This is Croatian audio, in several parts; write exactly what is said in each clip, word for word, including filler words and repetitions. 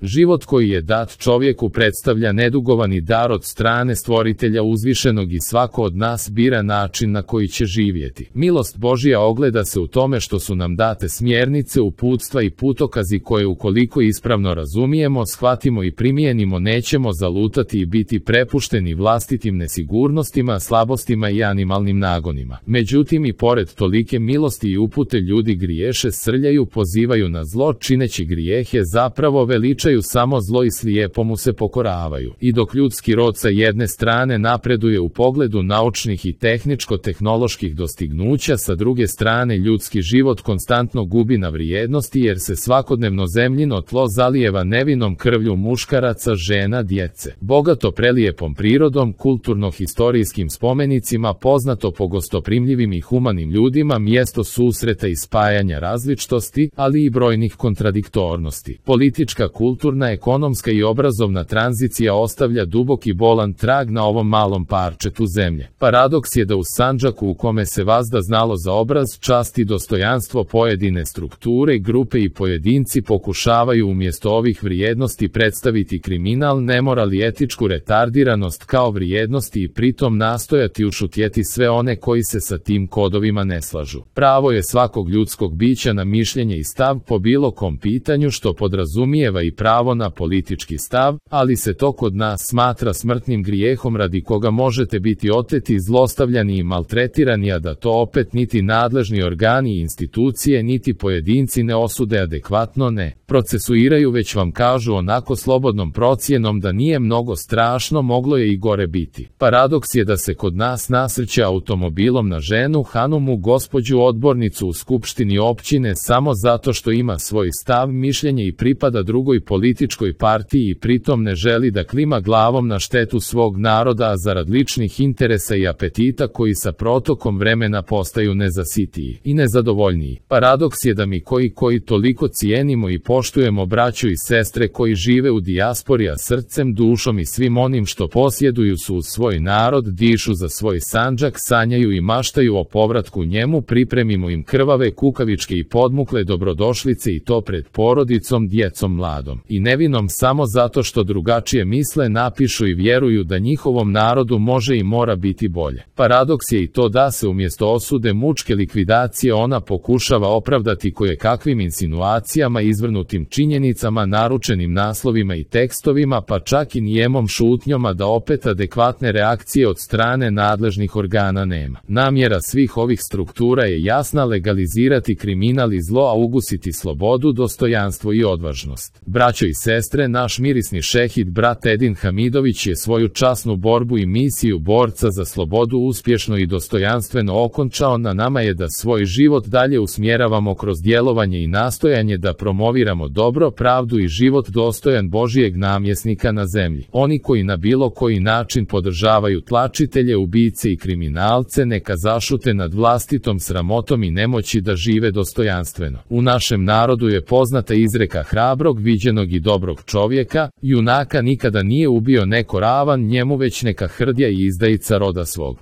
Život koji je dat čovjeku predstavlja nedugovani dar od strane Stvoritelja uzvišenog i svako od nas bira način na koji će živjeti. Milost Božja ogleda se u tome što su nam date smjernice, uputstva i putokazi koje ukoliko ispravno razumijemo, shvatimo i primijenimo nećemo zalutati i biti prepušteni vlastitim nesigurnostima, slabostima i animalnim nagonima. Međutim i pored tolike milosti i upute ljudi griješe, srljaju, pozivaju na zlo, čineći grijehe zapravo veličaju samo zlo i slijepo mu se pokoravaju. I dok ljudski rod sa jedne strane napreduje u pogledu naučnih i tehničko-tehnoloških dostignuća, sa druge strane ljudski život konstantno gubi na vrijednosti jer se svakodnevno zemljino tlo zalijeva nevinom krvlju muškaraca, žena, djece. Bogato prelijepom prirodom, kulturno-historijskim spomenicima, poznato po gostoprimljivim i humanim ljudima, mjesto susreta i spajanja različitosti, ali i brojnih kontradiktornosti. Politička, kulturna, ekonomska i obrazovna tranzicija ostavlja dubok i bolan trag na ovom malom parčetu zemlje. Paradoks je da u Sandžaku u kome se vazda znalo za obraz, čast i dostojanstvo pojedine strukture, grupe i pojedinci pokušavaju umjesto ovih vrijednosti predstaviti kriminal, nemoral i etičku retardiranost kao vrijednosti i pritom nastojati ušutjeti sve one koji se sa tim kodovima ne slažu. Pravo je svakog ljudskog bića na mišljenje i stav po bilo kom pitanju, što podrazumijeva i pravo na politički stav, ali se to kod nas smatra smrtnim grijehom radi koga možete biti oteti, zlostavljani i maltretirani, a da to opet niti nadležni organi i institucije niti pojedinci ne osude adekvatno, ne procesuiraju, već vam kažu onako slobodnom procjenom da nije mnogo strašno, moglo je i gore biti. Paradoks je da se kod nas nasrće automobilom na ženu, Hanumu, gospođu odbornicu u skupštini općine samo zato što ima svoj stav, mišljenje i pripada drugoj političkoj partiji i pritom ne želi da klima glavom na štetu svog naroda, a zarad ličnih interesa i apetita koji sa protokom vremena postaju nezasitiji i nezadovoljniji. Paradoks je da mi koji koji toliko cijenimo i poštujemo braću i sestre koji žive u dijaspori, a srcem, dušom i svim onim što posjeduju su uz svoj narod, dišu za svoj Sandžak, sanjaju i maštaju o povratku njemu, pripremimo im krvave, kukavičke i podmukle dobrodošlice i to pred porodicom, djecom, mladom i nevinom samo zato što drugačije misle, napišu i vjeruju da njihovom narodu može i mora biti bolje. Paradoks je i to da se umjesto osude, mučke likvidacije ona pokušava opravdati koje kakvim insinuacijama, izvrnutim činjenicama, naručenim naslovima i tekstovima, pa čak i nijemom šutnjom, a da opet adekvatne reakcije od strane nadležnih organa nema. Namjera svih ovih struktura je jasna: legalizirati kriminal i zlo, a ugusiti slobodu, dostojanstvo i odvažnost. Braćo i sestre, naš mirisni šehid brat Edin Hamidović je svoju časnu borbu i misiju borca za slobodu uspješno i dostojanstveno okončao. Na nama je da svoj život dalje usmjeravamo kroz djelovanje i nastojanje da promoviramo dobro, pravdu i život dostojan Božijeg namjesnika na zemlji. Oni koji na bilo koji način podržavaju tlačitelje, ubice i kriminalce, neka zašute nad vlastitom sramotom i nemoći da žive dostojanstveno. U našem narodu je poznata izreka: hrabrog, viđenog i dobrog čovjeka, junaka nikada nije ubio neko ravan njemu, već neka hrdja i izdajica roda svog.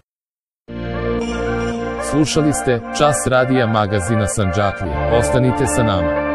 Slušali ste Čas radija magazina Sandžaklija. Ostanite sa nama.